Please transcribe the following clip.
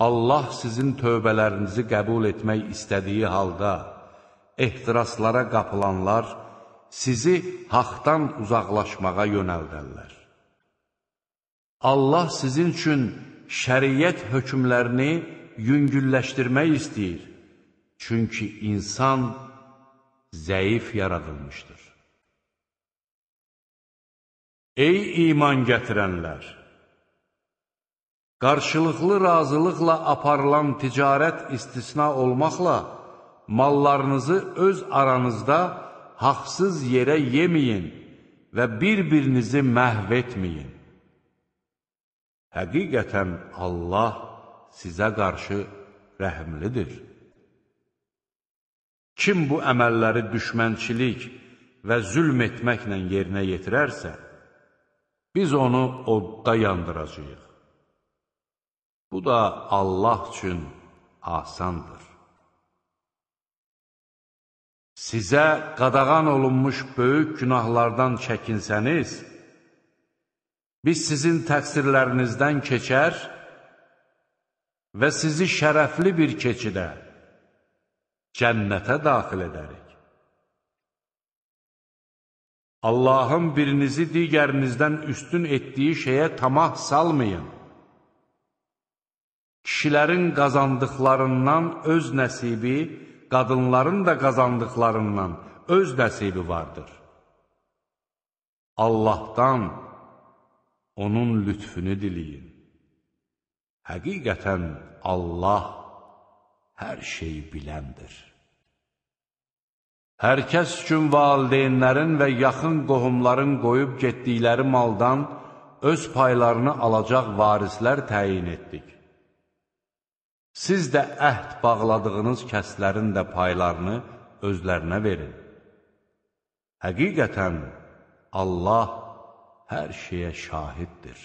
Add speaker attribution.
Speaker 1: Allah sizin tövbələrinizi qəbul etmək istədiyi halda, ehtiraslara qapılanlar sizi haqdan uzaqlaşmağa yönəldərlər. Allah sizin üçün şəriət hökmlərini yüngülləşdirmək istəyir. Çünki insan zəif yaradılmışdır. Ey iman gətirənlər! Qarşılıqlı razılıqla aparılan ticarət istisna olmaqla, mallarınızı öz aranızda haqsız yerə yeməyin və bir-birinizi məhv etməyin. Həqiqətən Allah sizə qarşı rəhimlidir. Kim bu əməlləri düşmənçilik və zülm etməklə yerinə yetirərsə, biz onu odda yandıracağıq. Bu da Allah üçün asandır. Sizə qadağan olunmuş böyük günahlardan çəkinsəniz, biz sizin təqsirlərinizdən keçər və sizi şərəfli bir keçidə, cənnətə daxil edərik. Allahın birinizi digərinizdən üstün etdiyi şeyə tamah salmayın. Kişilərin qazandıqlarından öz nəsibi, qadınların da qazandıqlarından öz nəsibi vardır. Allahdan onun lütfünü diləyin. Həqiqətən Allah hər şeyi biləndir. Hər kəs üçün valideynlərin və yaxın qohumların qoyub getdikləri maldan öz paylarını alacaq varislər təyin etdik. Siz də əhd bağladığınız kəslərin də paylarını özlərinə verin. Həqiqətən Allah hər şeyə şahiddir.